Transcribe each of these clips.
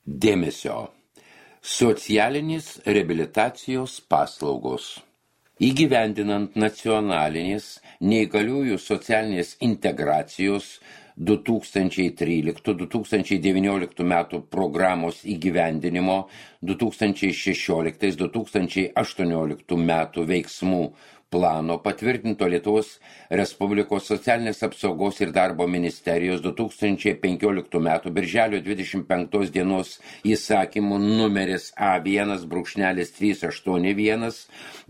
Dėmesio. Socialinės reabilitacijos paslaugos. Įgyvendinant nacionalinės neįgaliųjų socialinės integracijos 2013-2019 metų programos įgyvendinimo 2016-2018 metų veiksmų plano patvirtinto Lietuvos Respublikos socialinės apsaugos ir darbo ministerijos 2015 metų birželio 25 dienos įsakymų numeris A1-381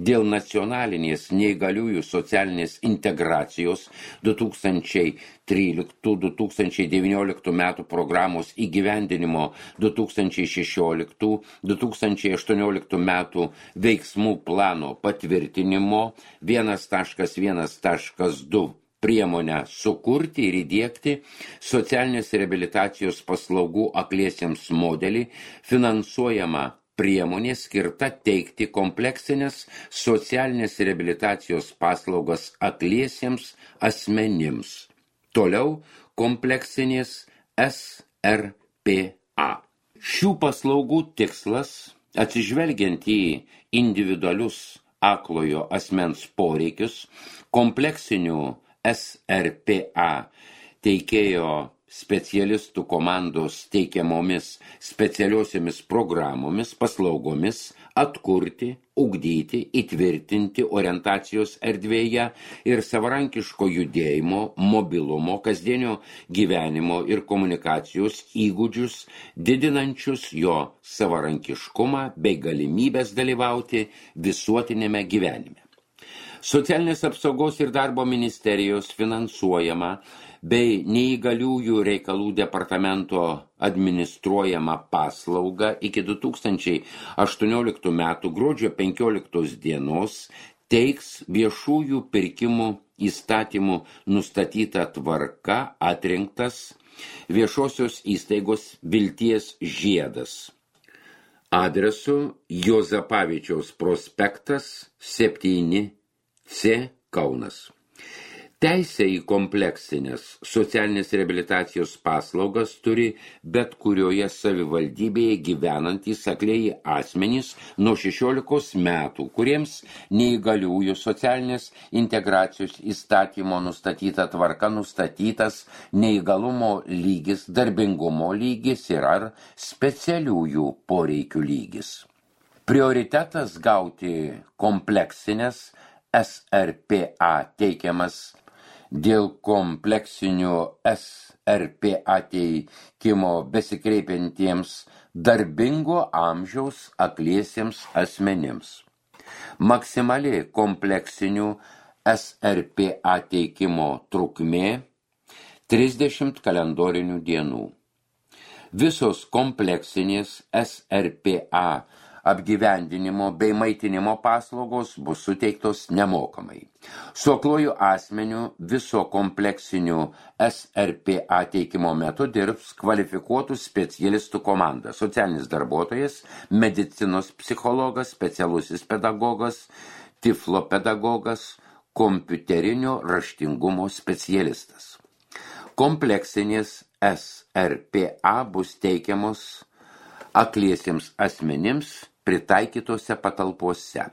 dėl nacionalinės neįgaliųjų socialinės integracijos 2013-2019 metų programos įgyvendinimo 2016-2018 metų veiksmų plano patvirtinimo 1.1.2 priemonę sukurti ir įdiegti socialinės reabilitacijos paslaugų akliesiems modelį finansuojama priemonė skirta teikti kompleksinės socialinės reabilitacijos paslaugas akliesiems asmenims. Toliau kompleksinės SRPA. Šių paslaugų tikslas, atsižvelgiant į individualius aklojo asmens poreikius, kompleksinių SRPA teikėjo specialistų komandos teikiamomis specialiosiomis programomis, paslaugomis atkurti, ugdyti, įtvirtinti orientacijos erdvėje ir savarankiško judėjimo, mobilumo, kasdienio gyvenimo ir komunikacijos įgūdžius, didinančius jo savarankiškumą bei galimybės dalyvauti visuotinėme gyvenime. Socialinės apsaugos ir darbo ministerijos finansuojama bei neįgaliųjų reikalų departamento administruojama paslauga iki 2018 metų gruodžio 15 dienos teiks viešųjų pirkimų įstatymų nustatyta tvarka atrinktas viešosios įstaigos Vilties žiedas. Adresu Juozapavičiaus prospektas 7C Kaunas. Teisė į kompleksinės socialinės reabilitacijos paslaugas turi bet kurioje savivaldybėje gyvenantys aklieji asmenys nuo 16 metų, kuriems neįgaliųjų socialinės integracijos įstatymo nustatyta tvarka nustatytas neįgalumo lygis, darbingumo lygis ir ar specialiųjų poreikių lygis. Prioritetas gauti kompleksinės SRPA teikiamas dėl kompleksinių SRPA teikimo besikreipiantiems darbingo amžiaus akliesiems asmenims. Maksimali kompleksinių SRPA teikimo trukmė 30 kalendorinių dienų. Visos kompleksinės SRPA apgyvendinimo bei maitinimo paslaugos bus suteiktos nemokamai. Su akluoju asmeniu viso kompleksinių SRPA teikimo metu dirbs kvalifikuotų specialistų komanda, socialinis darbuotojas, medicinos psichologas, specialusis pedagogas, tiflopedagogas, kompiuterinio raštingumo specialistas. Kompleksinės SRPA bus teikiamos akliesiems asmenims pritaikytose patalpose.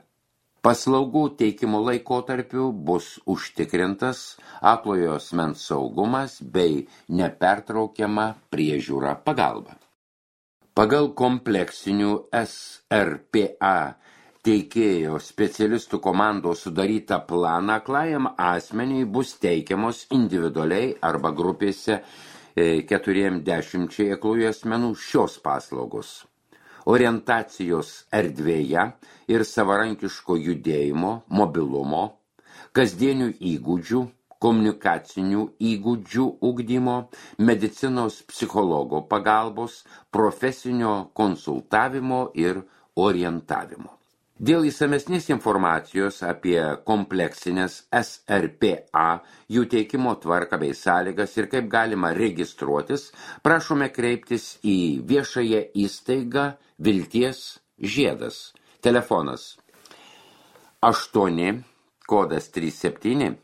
Paslaugų teikimo laikotarpiu bus užtikrintas aklojo asmens saugumas bei nepertraukiama priežiūra pagalba. Pagal kompleksinių SRPA teikėjo specialistų komandos sudarytą planą aklajam asmeniui bus teikiamos individualiai arba grupėse 40 aklųjų asmenų šios paslaugos. Orientacijos erdvėje ir savarankiško judėjimo, mobilumo, kasdienių įgūdžių, komunikacinių įgūdžių ugdymo, medicinos psichologo pagalbos, profesinio konsultavimo ir orientavimo. Dėl įsamesnės informacijos apie kompleksinės SRPA, jų teikimo tvarką bei sąlygas ir kaip galima registruotis, prašome kreiptis į viešąją įstaigą Vilties žiedas. Telefonas 8, kodas 37,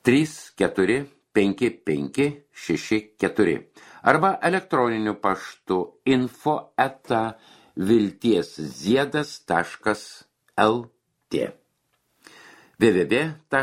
34 5564 arba elektroniniu paštu info@viltiesziedas.lt www.ndt.lt